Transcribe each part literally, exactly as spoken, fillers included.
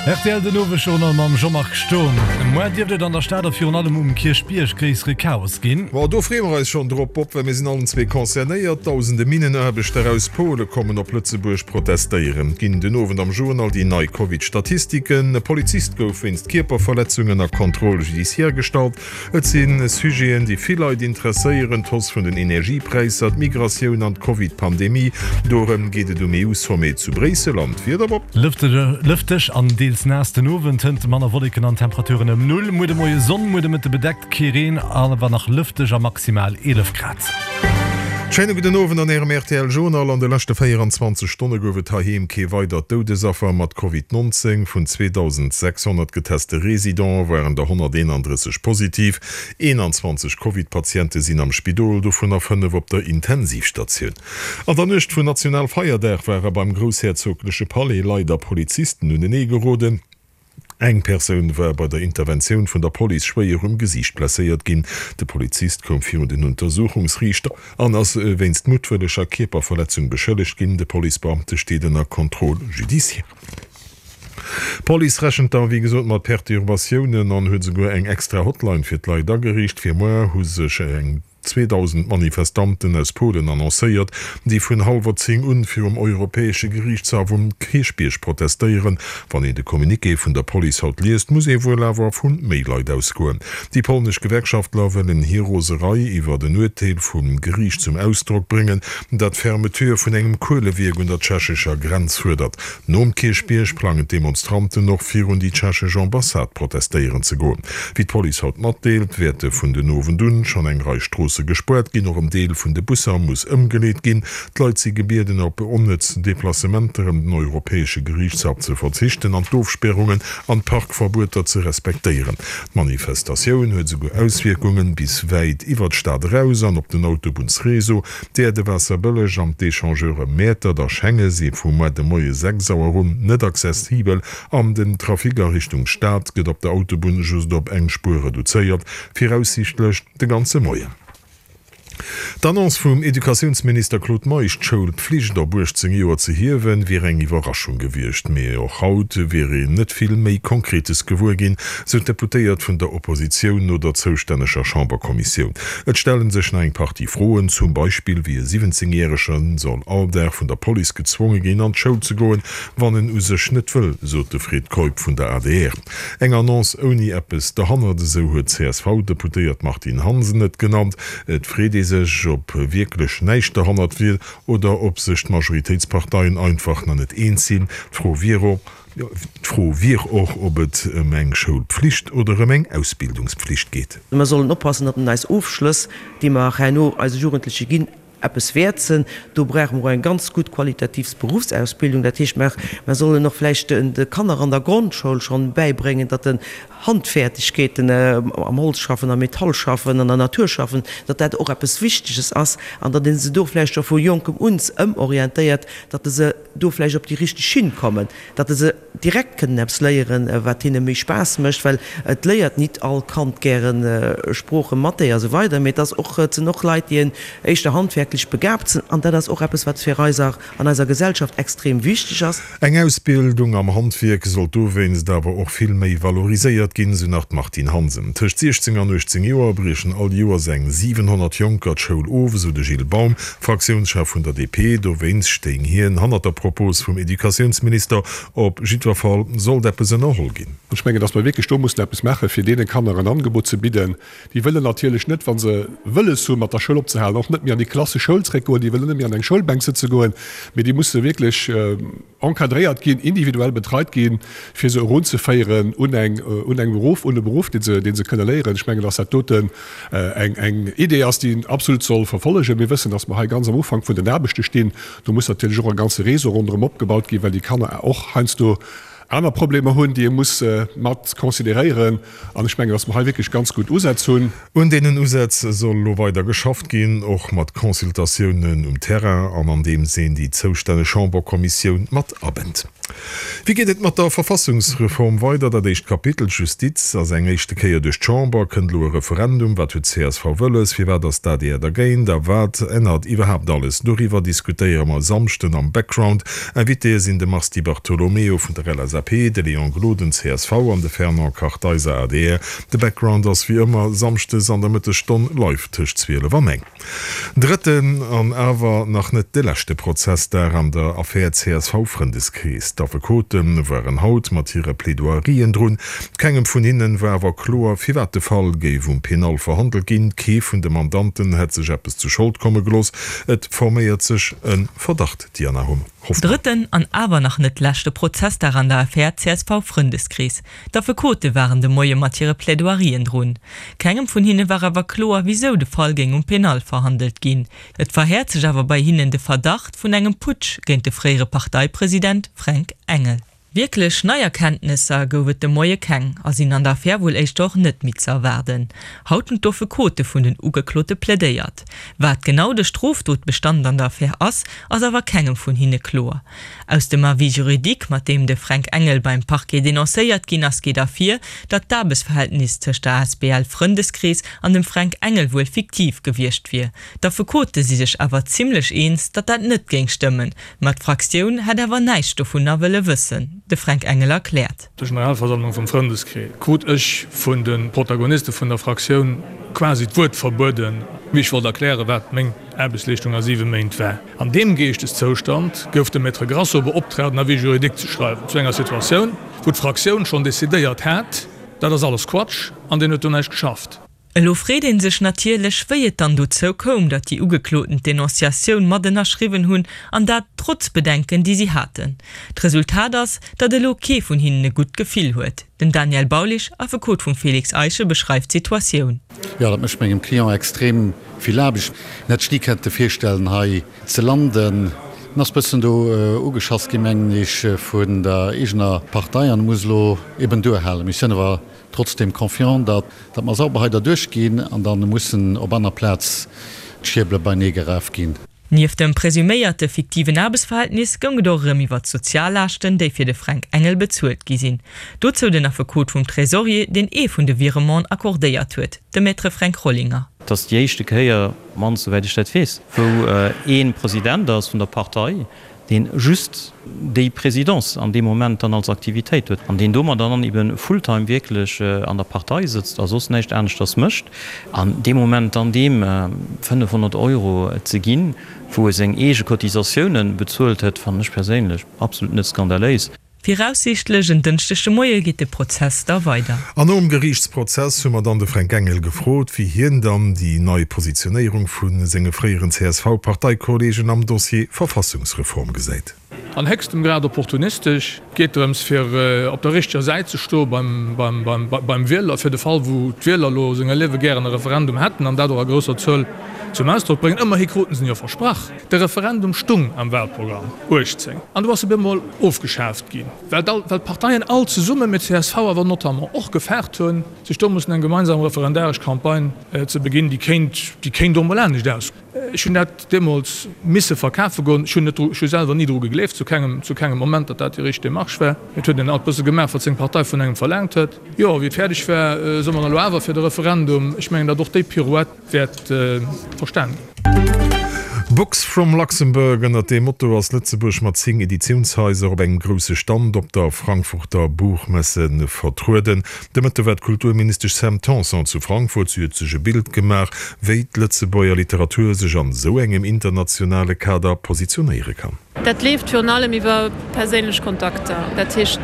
Rtl den Owesjournal mam Jean-Marc Sturm. Muer dierft et an der Stad a virun allem um Kierchbierg gréissere Chaos ginn. Bon, do freeë mer eis schonn drop, Bob, well mir sinn allen zwee concernéiert. Dausende Minnenaarbechter aus Pole kommen op Lëtzebuerg protestéieren. Ginn den Owend am Journal déi nei Covid-Statistiken. E Polizist gouf wéinst Kierperverletzung ënner Contrôle judiciaire gestallt. Et si Sujeten, déi vill Leit interesséieren, d'Hausse vun den Energiepräisser, d'Migratioun an d'Covid-Pandemie. Dorëm geet et um EU-Sommet zu Bréissel. An d'Wieder, Bob? Lëfteg an deels naass den Owend, hënt manner Wolleken an Temperaturen ëm Null. Muer de Moie Sonn, muer de Mëtte bedeckt, kee Reen, awer nach lëfteg a maximal eelef Grad. Schéine gudden Owend an Ärem rtl Journal. An de leschte véieranzwanzeg Stonne gouf et heiheem kee weidert Doudesaffer mat Covid neunzéng. Vun zweedausendsechshonnert geteste Residente waren der honnerteenandrësseg positiv. Eenanzwanzeg Covid-Patiente sinn am Spidol, dovunner fënnef op der Intensivstatioun. An der Nuecht vun Nationalfeierdag ware beim groussherzogleche Palais Leit a Polizisten unenee geroden. Eng Persoun war bei der Interventioun vun der Police schwéier um Gesiicht blesséiert ginn. De Polizist koum virun den Untersuchungsriichter an ass wéinst muttwëlleger Kierperverletzung beschëllegt ginn. De Policebeamte steet ënner Contrôle judiciaire. D'Police rechent da wéi gesot mat Perturbatiounen an huet esouguer eng extra Hotline fir d'Leit ageriicht. Fir muer hu sech eng zweedausend Manifestanten aus Polen annoncéiert, déi vun hallwer zéng un virum Europäesche Geriichtshaff um Kierchbierg protestéieren. Wann een de Communiqué vun der Police haut liest, muss ee wuel awer vu méi Leit ausgoen. Déi polnesch Gewerkschaftler wëllen hir Roserei iwwert en Urteel vum Geriicht zum Ausdrock bréngen, dat d'Fermeture vun engem Kuelewierk un der tschechescher Grenz fuerdert. Nom Kierchbierg plangen d'Demonstranten och virun déi tschechesch Ambassade protestéieren ze goen. Wéi d'Police haut matdeelt, wäerte vun den Owend un schonn eng Rei Stroosse gespuert ginn. Och en Deel vun de Busser muss ëmgeleet ginn. D'Leit si gebieden, op onnëtz Deplacementer ëm den Europäesche Geriichtshaff ze verzichten an d'Ofspärungen an d'Parkverbueter ze respektéieren. D'Manifestatioun huet esouguer Auswierkungen bis wäit iwwer d'Stad eraus an op den Autobunnsreseau. D'Äerdewaasser Bëlleg an d'Echangeure Mäertert a Schenge si vu muer de Moie sechs Auer un net accessibel an den Trafic a Richtung Stad gëtt op der Autobunn just op eng Spuer reduzéiert, viraussiichtlech de ganze Moien. D'Annonce vum Educatiounsminister Claude Meisch, d'Schoulpflicht op uechtzéng Joer ze hiewen, wier eng Iwwerraschung gewiescht. Mee och haut wier een net vill méi Konkretes gewuer ginn, sou d'Deputéiert vun der Oppositioun no der zoustänneger Chamberkommissioun. Et stelle sech nach eng Partie Froen, zum Beispill wéi e siwwenzéngjärege soll all Dag vun der Police gezwonge ginn an d'Schoul ze goen, wann en u sech net wëll, sot de Fred Keup vun der adr. Eng Annonce ouni eppes derhannert, esou huet d'CSV-Deputéiert Martine Hansen et genannt. Et freet ee sech, ob wierklech näischt derhannert wier oder ob sech d'Majoritéitsparteien einfach nach net eens sinn. D'Fro wier d'Fro wier och, ob et ëm eng Schoulpflicht oder ëm eng Ausbildungspflicht geet. Mer sollen oppassen, datt eis Ofschlëss, déi mer herno eise Jugendleche ginn, eppes wäert sinn. Do brauche mer och eng ganz gutt qualitativ Berufsausbildung. Dat heescht, mer sollen och vläicht de Kanner an der Grondschoul schonn bäibréngen, datt en Handfertigkeeten am Holz schaffen, am Metall schaffen, an der Natur schaffen, datt dat och eppes Wichteges ass an datt ee se do vläicht scho vu jonkem un ëmorientéiert, datt se do vläicht op déi richteg Schinn kommen, datt se direkt kënnen eppes léieren, wat hinne méi Spaass mécht, well et léiert nit all Kand gären Sproochen, Mathé a sou weider, mee et ass och, et sinn och Leit, déi éischter handwerklech begabt sinn an dat ass och eppes, wat fir eis an eiser Gesellschaft extrem wichteg ass. Eng Ausbildung am Handwierk sollt dowéinst awer och vill méi valoriséiert ginn, sou nach d'Martine Hansen. Tëscht siechzéng an uechtzéng Joer briechen all Joers eng siwenhonnert Jonker d'Schoul of, sou de Gilles Baum, Fraktiounschef vun der D P. Dowéinst stéing hien hannert der Propos vum Educatiounsminister. Op jiddwer Fall sollt eppes ënnerholl ginn. Ech mengen, datt mer wierklech do mussen eppes maachen, fir deene Kanner en Angebot ze bidden. Déi wëllen natierlech net, wa se wëlles hunn, mat der Schoul opzehalen, och net méi an déi klassesch Schoul zréckgoen. Déi wëllen net méi an eng Schoulbänk sëtze goen, mee déi musse wierklech encadréiert ginn, individuell betreit ginn, fir se erunzeféieren un eng, un eng Beruff, un e Beruff, dee se, dee se kënne léieren. Ech mengen, datt dat doten eng, eng Idee ass, déi een absolut soll verfollegen. Mir wëssen, datt mer hei ganz am Ufank vun den Aarbechte stinn. Do muss natierlech och e ganze Réseau ronderëm opgebaut ginn, well déi Kanner och heiansdo aner Problemer hunn, déi ee muss mat consideréieren. An ech mengen, datt mer hei wierklech ganz gutt Usätz hunn. Un deenen Usätz soll elo weider geschafft ginn, och mat Consultatiounen um Terrain an andeems een déi zoustänneg Chamberkommissioun mat abënnt. Wéi geet et mat der Verfassungsreform weider? Dat éischt Kapitel, d'Justiz, ass eng éischte Kéier duerch d'Chamber. Kënnt elo e Referendum? Wat huet d'C S V wëlles? Firwat ass d'A D R dergéint? A wat ännert iwwerhaapt alles? Doriwwer diskutéiere mer e Samschden am Background. Invitéë sinn de Mars Di Bartolomeo vun der L S A P, L S A P, de Léon Gloden, C S V, an de Fernand Kartheiser, A D R. De Background ass wéi ëmmer samschdes an der Mëttesstonn live tëscht zwielef an eng. Drëtten an awer nach net de leschte Prozessdag an der Affär C S V-Frëndeskrees. D'Affekote waren haut mat hire Plaidoierien drun. Kengem vun hinnen war awer kloer, firwat de Fall géif um Penal verhandelt ginn. Kee vun de Mandanten hätt sech eppes zu Schold komme gelooss. Et forméiert sech e Verdacht, Diana Hoffmann. Drëtten an awer nach net leschte Prozessdag an der Affär C S V-Frëndeskrees. D'Affekote waren de Moie mat hire Plaidoierien drun. Kengem vun hinne war awer kloer, wisou de Fall géing um Penal verhandelt ginn. Et verhäert sech awer bei hinnen de Verdacht vun engem Putsch géint de fréiere Parteipresident Fränk Engel. Wierklech nei Erkenntnisser gouf et de Moie keng a sinn an der Affär wuel éischter och net méi ze erwaarden. Haut hunn d'Affekote vun den Ugeklote plädéiert. Wat genau de Strofdotbestand an der Affär ass, ass awer kengem vun hinne kloer. Aus dem Avis juridique, mat deem de Fränk Engel beim Parquet denoncéiert ginn ass, geet ervir, datt d'Aarbechtsverhältnis tëscht der A S B L Frëndeskrees an dem Fränk Engel wuel fiktiv gewiescht wier. D'Affekote si sech awer zimmlech eens, datt dat net géing stëmmen, ma d'Fraktioun hätt awer näischt dovunner wëlle wëssen. De Fränk Engel erkläert. Op der Generalversammlung vum Frëndeskrees krut ech vun de Protagoniste vun der Fraktioun quasi d'Wuert verbueden, wéi ech wollt erklären, wat meng Aarbechtsleeschtung a siwe Méint war. An deem Geeschteszoustand gouf de Maître Grasso beoptraagt, en Avis juridique ze schreiwen zu enger Situatioun, wou d'Fraktioun schonn decidéiert hat, dat ass alles Quatsch an deen huet do näischt geschafft. Elo freet ee sech natierlech, wéi et dann dozou koum, datt déi Ugekloten d'Denonciatioun mat ënnerschriwwen hunn, an dat trotz Bedenken, déi si haten. D'Resultat ass, datt elo kee vun hinnen e gutt Gefill huet. Den Daniel Baulisch, Affekot vum Félix Eischen, beschreift d'Situatioun. Jo, dat mécht mengem Client extrem vill Aarbecht. En hätt sech ni kënnte virstellen, hei ze landen. En ass bëssen do ugeschass ginn, mengen ech, vun der eegener Partei an muss elo eben duerhalen. Mir sinn awer trotzdem confiant, datt datt mer sauber hei derduerch ginn an dann mussen op aner Plaz d'Schierbele beinee geraf ginn. Nieft dem presuméierte fiktiven Aarbechtsverhältnis goung et och erëm iwwer d'Soziallaaschten, déi fir de Fränk Engel bezuelt gi sinn. Dozou den Affekot vum Tresorier, deen ee vun de Virementen accordéiert huet, de Maître Fränk Rollinger. Et ass déi éischte Kéier, mannst souwäit ech dat weess, wou ee President ass vun der Partei, deen just déi Présidence an deem Moment dann als Aktivitéit huet an deen domadder dann eben fulltime wierklech an der Partei sëtzt a soss näischt aneschters mécht, an dee Moment dann deem fënnefhonnert Euro ze ginn, wou e seng eege Cotisatiounen bezuelt huet, fannen ech perséinlech absolut net skandaléis. Viraussiichtlech en Dënschdeg de Moie geet de Prozess da weider. An nom Geriichtsprozess hu mer dann de Fränk Engel gefrot, wéi hien dann déi nei Positionéierung vu senge fréieren C S V-Parteikolleegen am Dossier Verfassungsreform gesäit. An héchstem Grad opportunistesch. Et geet drëms, fir op der richteger Säit ze stoe beim Wieler, fir de Fall, wou d'Wieler elo senger Liewe gären e Referendum hätten an dat och a grousser Zuel zum Ausdrock bréngen. Ëmmerhi kruten se en jo versprach. De Referendum stung am Wahlprogramm uechtzéng an du ass e bemol ofgeschaaft ginn, well d'Parteien all zesummen, mee d'C S V awer notamment och, gefaart hunn, sech do mussen eng gemeinsam referendaresch Campagne ze beginn, déi kéint, déi kéint och mol anescht aus. Ech hunn dat deemools misse verkafe goen. Ech hunn net dru, ech hu selwer ni dru gegleeft, zu kengem, zu kengem Moment, datt dat déi richteg Demarche war. Et huet een alt bësse gemaach, wat seng Partei vun engem verlaangt huet. Jo, wéi et fäerdeg war, soe mer elo awer fir de Referendum. Ech mengen, datt och déi Pirouette wäert verstan ginn. Books from Luxembourg, ënnert deem Motto ass Lëtzebuerg mat zéng Editiounshaiser op engem grousse Stand op der Frankfurter Buchmesse vertrueden. De Mëtte war d'Kulturministesch Sam Tanson zu Frankfurt. Si huet sech e Bild gemaach, wéi d'Lëtzebuerger Literatur sech an esou engem internationale Kader positionéiere kann. Dat leeft virun allem iwwer perséinlech Kontakter, dat heescht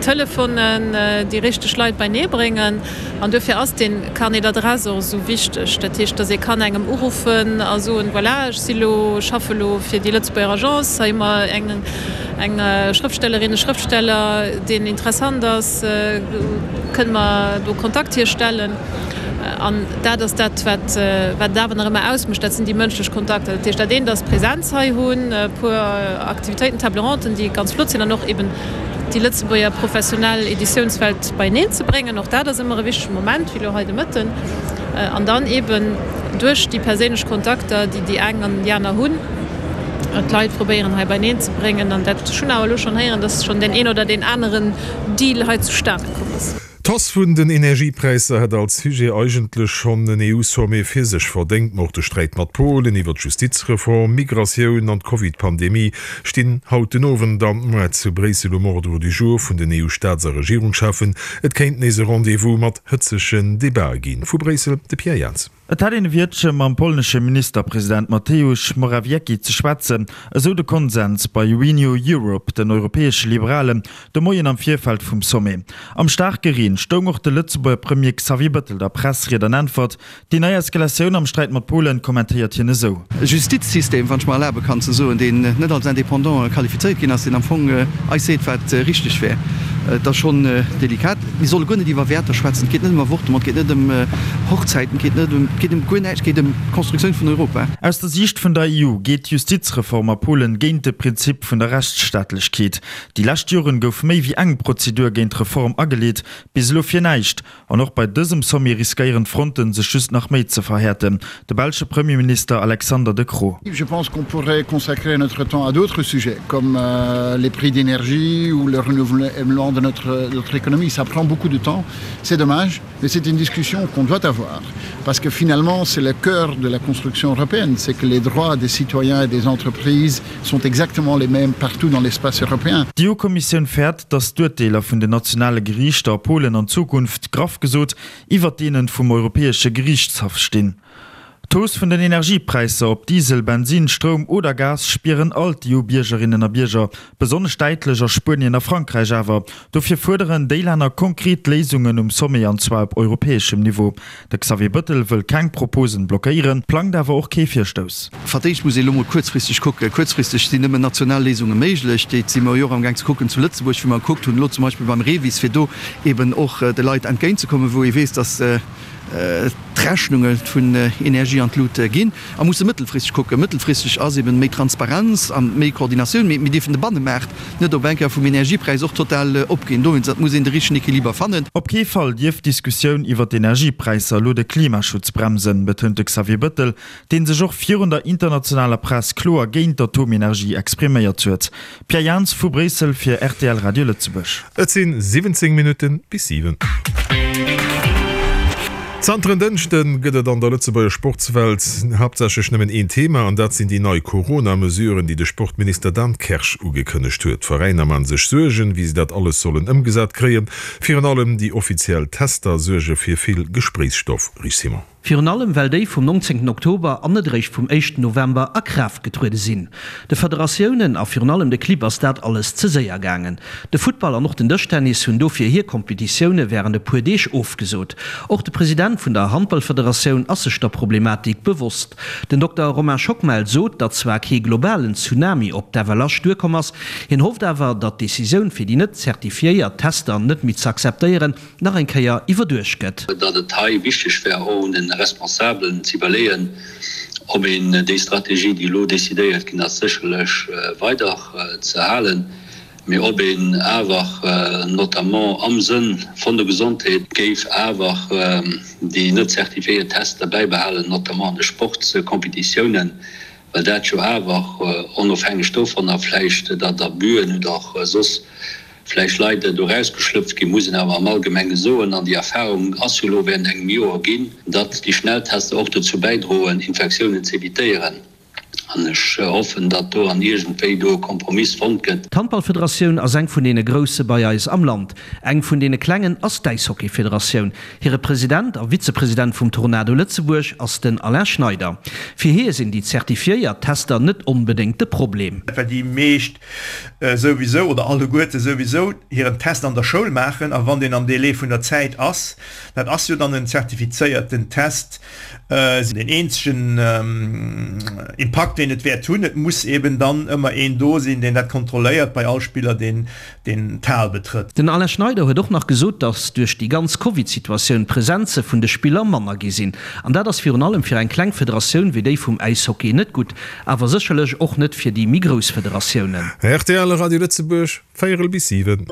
Telefonen, déi richteg Leit beinee bréngen. An duerfir ass dee Carnet d'adresses och esou wichteg. Dat heescht, datt ee kann engem uruffen a soen, voilà, ech si lo, schaffe lo fir déi Lëtzebuerger Agence, hei hu mer eng eng Schrëftstellerin, e Schrëftsteller, deen interessant ass, kënne mer do Kontakt hierstellen? An dat ass dat, wat wat et awer nach ëmmer ausmécht, dat sinn déi mënschlech Kontakter. Dat heescht, dat eent ass Presenz hei hunn, e puer Aktivitéiten, Table ronden, déi ganz flott sinn, an och eben déi Lëtzebuerger professionell Editiounswelt beieneen ze bréngen. Och dat ass ëmmer e wichtege Moment, wéi elo hei de Mëtten. An dann eben duerch déi perséinlech Kontakter, déi déi eng an déi aner hunn, d'Leit probéieren hei beieneen ze bréngen. An dat, ech hunn awer elo schonn héieren, dass schonn deen een oder deen aneren Deal hei zustane komm ass. D'Hausse vun den Energiepräisser hätt als Sujet eigentlech schonn en EU-Sommet fir sech verdéngt. Ma och de Sträit mat Polen iwwer d'Justizreform, Migratioun an d'Covid-Pandemie stinn haut den Owend an muer zu Bréissel um Ordre du jour vun den EU-Staats a Regierungscheffen. Et kéint nees e Rendez-vous mat hëtzegen Debatë ginn. Vu Bréissel de Pierre Jans. Et hätt een e Wiertche mam polnesche Ministerpresident Mateusz Morawiecki ze schwätzen, esou de Konsens bei Renew Europe, den europäesche Liberalen, de Moien am Virfeld vum Sommet. Am staarke Reen stoung och de Lëtzebuerger Premier Xavier Bëttel der Press Ried an Äntwert. Déi nei Eskalatioun am Sträit mat Polen kommentéiert hien esou. E Justizsystem, wann ech mer erlabe kann ze soen, deen net als indépendant qualifizéiert ginn ass, deen am Fong eis seet, wat richteg wär. Et ass schonn delikat. Mir solle guer net iwwer Wäerter schwätzen. Et geet net ëm Avortement, et geet net ëm Hochzäiten, et geet net ëm, et geet ëm guer näischt, et geet ëm d'Constructioun vun Europa. Aus der Siicht vun der E U geet d'Justizreform a Polen géint de Prinzip vun der Rechtsstaatlechkeet. Déi lescht Joren gouf méi wéi eng Prozedur géint d'Reform ageleet, bis elo fir näischt. An och bei dësem Sommet riskéieren d'Fronten sech just nach méi ze verhäerten. De belsche Premierminister Alexander De Croo. Je pense qu'on pourrait consacrer notre temps à d'autres sujets comme les prix d'énergie ou le renouvellement de notre, notre économie. Ça prend beaucoup de temps, c'est dommage, mais c'est une discussion qu'on doit avoir parce que finalement c'est le cœur de la construction européenne, c'est que les droits des citoyens et des entreprises sont exactement les mêmes partout dans l'espace européen. D'EU-Kommissioun fäert, datt d'Urteeler vun den nationale Geriichter a Polen an Zukunft, graff gesot, iwwert deene vum Europäesche Geriichtshaff stinn. D'Hausse vun den Energiepräisser op Diesel, Bensin, Stroum oder Gas spieren all d'EU-Biergerinnen a Bierger, besonnesch däitlech a Spuenien a Frankräich awer. Dofir fuerderen déi Länner konkret Léisungen um Sommet an zwar op europäeschem Niveau. De Xavier Bëttel wëll keng Proposen blockéieren, plangt awer och kee Virstouss. Fir d'éischt muss ee lo mol kuerzfristeg kucken. Kuerzfristeg sinn nëmmen national Léisunge méiglech. Déi si mer jo och amgaang ze kucken zu Lëtzebuerg, wou mer gekuckt hunn elo zum Beispill beim REVIS, fir do eben och de Leit entgéintzekommen, wou ee weess, datt d'Rechnunge vun Energie an d'Lut ginn. A musse mëttelfristeg kucken. Mëttelfristeg ass eben méi Transparenz a méi Koordinatioun. Mee mir dierfen de Bannemaart net op eng Kéier vum Energiepräis och total opginn. Dowéinst, et muss een de richtegen Equiliber fannen. Op kee Fall dierf d'Diskussioun iwwer d'Energiepräisser elo de Klimaschutz bremsen, betount de Xavier Bëttel, dee sech och virun der internationaler Press kloer géint d'Atomenergie expriméiert huet. Pierre Jans vu Bréissel fir rtl Radio Lëtzebuerg. Et si siwwenzéng Minutte bis siwen. Zanter en Dënschde gëtt et an der Lëtzebuerger Sportswelt haaptsächlech nëmmen een Thema, an dat sinn déi nei Corona-Mesuren, déi de Sportminister Dan Kersch ugekënnegt huet. D'Veräiner man sech Suergen, wéi se dat alles sollen ëmgesat kréien. Virun allem déi offiziell Tester suerge fir vill Gespréichsstoff. Rich Simon. Virun allem well déi vum nonzéngten Oktober an net eréischt vum éischten November a Kraaft getruede sinn. De Federatiounen a virun allem de Clibb ass dat alles ze séier gaangen. De Futtball an och den Dëschtennis hunn dofir hir Kompetitioune wärend e puer Deeg ofgesot. Och de President vun der Handballfederatioun ass sech der Problematik bewosst. Den Dokter Romain Schockmel sot, datt zwar kee globalen Tsunami op d'F L H duerkomm ass, hien hofft awer, datt d'Decisioun fir déi net zertifiéiert Tester net méi ze akzeptéieren, nach eng Kéier iwwerduecht gëtt. Datt et hei wichteg wär, och un de Responsabelen ze iwwerleeën, ob een déi Strategie, déi elo decidéiert ginn ass, sécherlech weider ze halen, mee ob een awer, notamment am Sënn vun der Gesondheet, géif awer déi net zertifiéiert Tester bäibehalen, notamment an de Sportskompetitiounen, well dat jo awer, onofhängeg dovunner vläicht, datt Abüen oder soss vläicht Leit do erausgeschlëpft ginn, muss een awer am Allgemenge soen, an déi Erfahrung ass jo elo während engem Joer ginn, datt déi Schnelltester och dozou bäidroen, Infektiounen ze evitéieren. An ech hoffen, datt do an iergendwéi do e Kompromiss fonnt gëtt. D'Handballfederatioun ass eng vun deene grousse bei eis am Land. Eng vun deene klengen ass d'Äishockeyfederatioun. Hire President a Vizepresident vum Tornado Lëtzebuerg ass den Alain Schneider. Fir hie sinn déi zertifiéiert Tester net onbedéngt de Problem. Well déi meescht souwisou, oder alleguerte souwisou, hiren Test an der Schoul maachen, a wann deen am Délai vun der Zäit ass, dat ass jo dann en zertifizéierten Test, deen eenzegen Impakt, deen et wäert hunn, et muss eben dann ëmmer een do sinn, deen dat kontrolléiert bei all Spiller, deen deen d'Hal betrëtt. Den Alain Schneider huet och nach gesot, datt duerch déi ganz Covid-Situatioun d'Presenze vun de Spiller manner gi sinn. An dat ass virun allem fir eng kleng Federatioun wéi déi vum Äishockey net gutt, awer sécherlech och net fir déi méi grouss Federatiounen. Rtl Radio Lëtzebuerg, véierel bis siwen.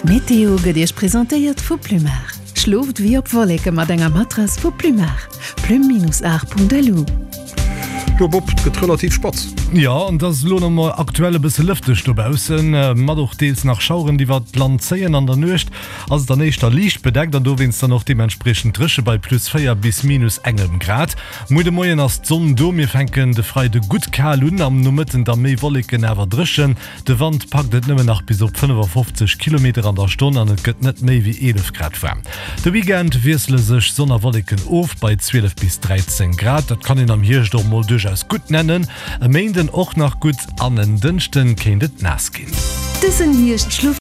D'Meteo gëtt Iech presentéiert vu Plumar. Schlooft wéi op Wolleke mat enger Matrass vu Plumar. Plume-art.lu. Jo Bob, 't gëtt relativ spatz. Jo, an et ass elo nach mol aktuell e bësse lëfteg dobaussen, mat och deels nach Schaueren, déi iwwert d'Land zéien. An der Nuecht ass et dann éischter liicht bedeckt an dowéinst dann och deementspriechend dréche bei plus véier bis minus engem Grad. Muer de Moien ass d'Sonn do, mir fänken de Freide gutt kal un, am Nomëtten da méi Wolleken, awer dréchen. De Wand packt et nëmmen nach bis op fënnefafofzeg Kilometer an der Stonn an et gëtt net méi wéi eelef Grad waarm. De Weekend wiessele sech Sonn a Wolleken of bei zwielef bis dräizéng Grad. Dat kann een am Hierscht och mol duerchaus gutt nennen. E Méinden och nach gutt an en Dënschden kéint et naass ginn. Dësen Hierscht schloft.